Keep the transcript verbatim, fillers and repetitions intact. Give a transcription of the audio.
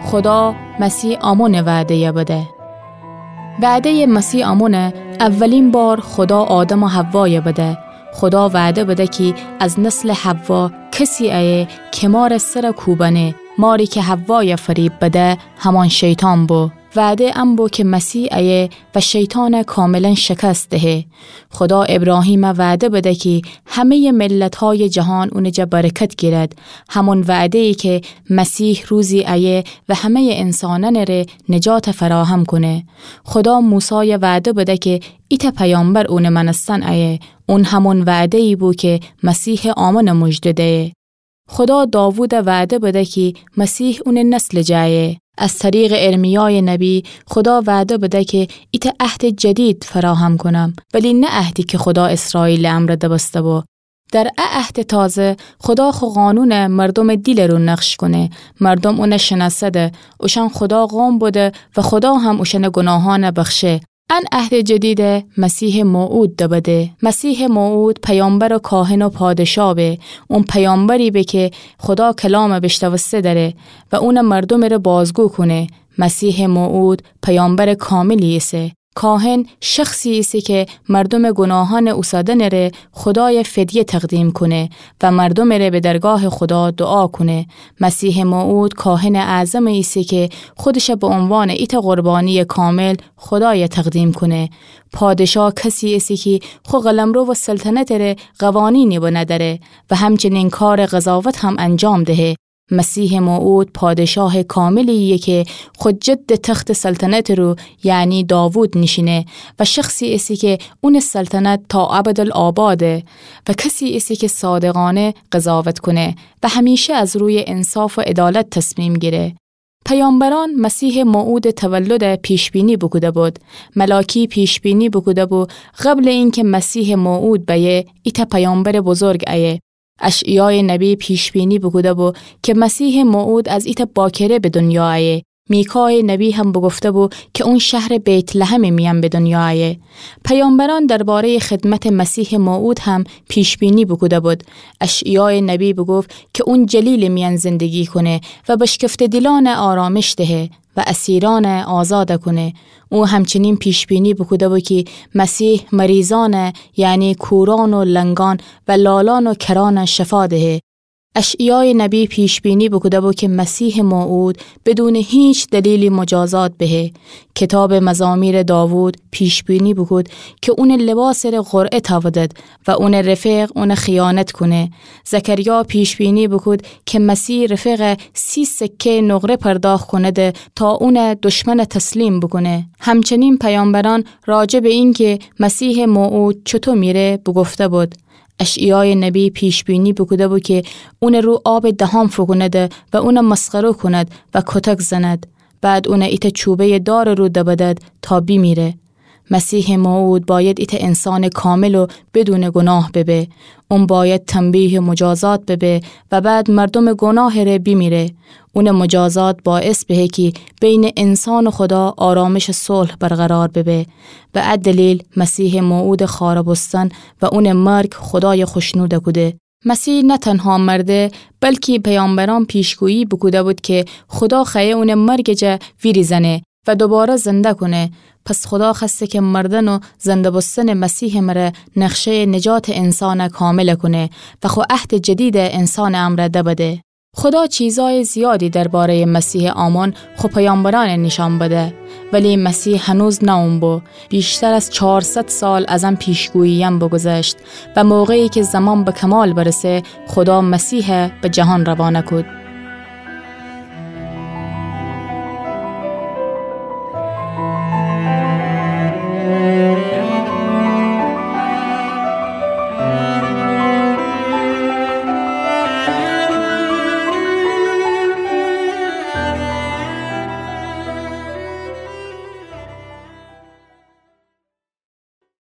خودا مسیح آمونٚ وعده‌یَ بده. وعده‌یٚ مسیح آمونَ اولین بار خودا آدم و حوایَ بده. خودا وعده بده کی از نسلٚ حوا کسی ایه کی مارٚ سرَ کوبنه. ماری کی حوایَ فریب بده، همأن شیطان بو. وعده ان بو کی مسیح ایه و شیطانَ کاملاً شکست دهه. خودا ابراهیمَ وعده بده کی همه‌یٚ ملت‌هایٚ جهان اونٚ جا برکت گیرد. همون وعده‌یی کی مسیح روزی ایه و همه‌یٚ انسانأنٚ ره نجاتَ فراهم کونه. خودا موسایَ وعده بده کی ایتأ پیامبر اونٚ مأنستن ایه. اون همون وعده‌یی بو کی مسیحٚ آمونَ موژده دیه. خودا داوودَ وعده بده کی مسیح اونٚ نسلٚ جا ایه. از طریقٚ ارمیایٚ نبی خودا وعده بده کی ایتأ عهدٚ جدید فراهم کونم، ولی نه عهدی کی خودا اسرائیلٚ امرأ دبسته بو. در ا عهدٚ تازه خودا خو قانونَ مردومٚ دیلٚ رو نقش کونه. مردوم اونَ شنأسده، اوشأن خودا قوم بوده و خودا هم اوشأنٚ گوناهأنَ بخشه. ان عهدٚ جدید مسیحٚ موعود دبده. مسیحٚ موعود پیامبر و کاهن و پادشا به. اون پیامبری به کی خودا کلامَ بیشنوسته دره و اونٚ مردومٚ ره بازگو کونه. مسیحٚ موعود پیامبرٚ کاملی ایسه. کاهن شخصی ایسه کی مردومٚ گوناهأنٚ اوسادنٚ ره خودایَ فدیه تقدیم کونه و مردومٚ ره به درگاهٚ خودا دوعا کونه. مسیحٚ موعود کاهنٚ اعظمی ایسه کی خودشَ به عنوانٚ ایتأ قربانیٚ کامل خودایَ تقدیم کونه. پادشا کسی ایسه کی خو قلمرو و سلطنتٚ ره قوانینی بنه دره و همچنین کارٚ قضاوت هم انجام دهه. مسیحٚ موعود پادشاهٚ کاملی ایه کی خو جدٚ تختٚ سلطنتٚ رو، یعنی داوود، نیشینه و شخصی ایسه کی اونٚ سلطنت تا ابدالآباده و کسی ایسه کی صادقانه قضاوت کونه و همیشه از رویٚ انصاف و عدالت تصمیم گیره. پیامبرأن مسیحٚ موعودٚ تولدَ پیش‌بینی بوکوده بود. ملاکی پیش‌بینی بوکوده بو قبلٚ اینکی مسیحٚ موعود بأیه، ایتأ پیامبرٚ بزرگ ایه. اشعیایٚ نبی پیش‌بینی بوکوده بو کی مسیحٚ موعود از ایتأ باکره به دونیا ایه. میکایٚ نبی هم بوگفته بو کی اون شهرٚ بیت‌لحمٚ میأن به دونیا ایه. پیامبرأن درباره‌یٚ خدمتٚ مسیحٚ موعود هم پیش‌بینی بوکوده بود. اشعیایٚ نبی بوگفت کی اون جلیلٚ میأن زندگی کونه و بشکفته دیلأنَ آرامش دهه و اسیرأنَ آزاد کونه. او همچنین پیش‌بینی بوکوده بو کی مسیح مریضأنَ، یعنی کورأن و لنگأن و لالأن و کرأنَ شفا دهه. اشعیایٚ نبی پیش‌بینی بوکوده بو کی مسیحٚ موعود بدونٚ هیچ دلیلی مجازات بهه. کیتابٚ مزامیرٚ داوود پیش‌بینی بوکود کی اونٚ لباسٚ ره قرعه تأودد و اونٚ رفیق اونَ خیانت کونه. زکریا پیش‌بینی بوکود کی مسیح رفیقَ سی سکه‌یٚ نقره پرداخت کونده تا اونَ دشمنَ تسلیم بوکونه. همچنین پیامبرأن راجع به اینکی مسیحٚ موعود چوطو میره بوگفته بود. اشعیایٚ نبی پیش‌بینی بوکوده بو کی اونٚ رو آبٚ دهان فوکونده و اونَ مسخره کوند و کتک زند. بعد اونَ ایتأ چوبه‌یٚ دارٚ رو دبدد تا بیمیره. مسیحٚ موعود بأید ایتأ انسانٚ کامل و بدونٚ گوناه ببه. اون بأید تنبیه و مجازات ببه و بعد مردومٚ گوناهٚ ره بیمیره. اونٚ مجازات باعث بهه کی بینٚ انسان و خودا آرامشٚ صلح برقرار ببه. به ا دلیل مسیحٚ موعودٚ خوأره بوستن و اونٚ مرگ خودایَ خوشنود کوده. مسیح نه تنها مرده، بلکی پیامبرأن پیشگویی بوکوده بود کی خودا خوأیه اونٚ مرگٚ جا ویریزأنه و دوباره زنده کونه. پس خودا خوأسته کی مردن و زنده بوستنٚ مسیحٚ مره نقشه‌یٚ نجاتٚ انسانَ کامل کونه و خو عهدٚ جدیدَ انسانٚ امرأ دبده. خودا چیزأیٚ زیادی درباره‌یٚ مسیحٚ آمون خو پیامبرأنَ نیشأن بده، ولی مسیح هنوز نه اون بو. بیشتر از چهارصد سال از ان پیشگویی‌یأن بوگوذشت و موقعی کی زمان به کمال برسه، خودا مسیحَ به جهان روانه کود.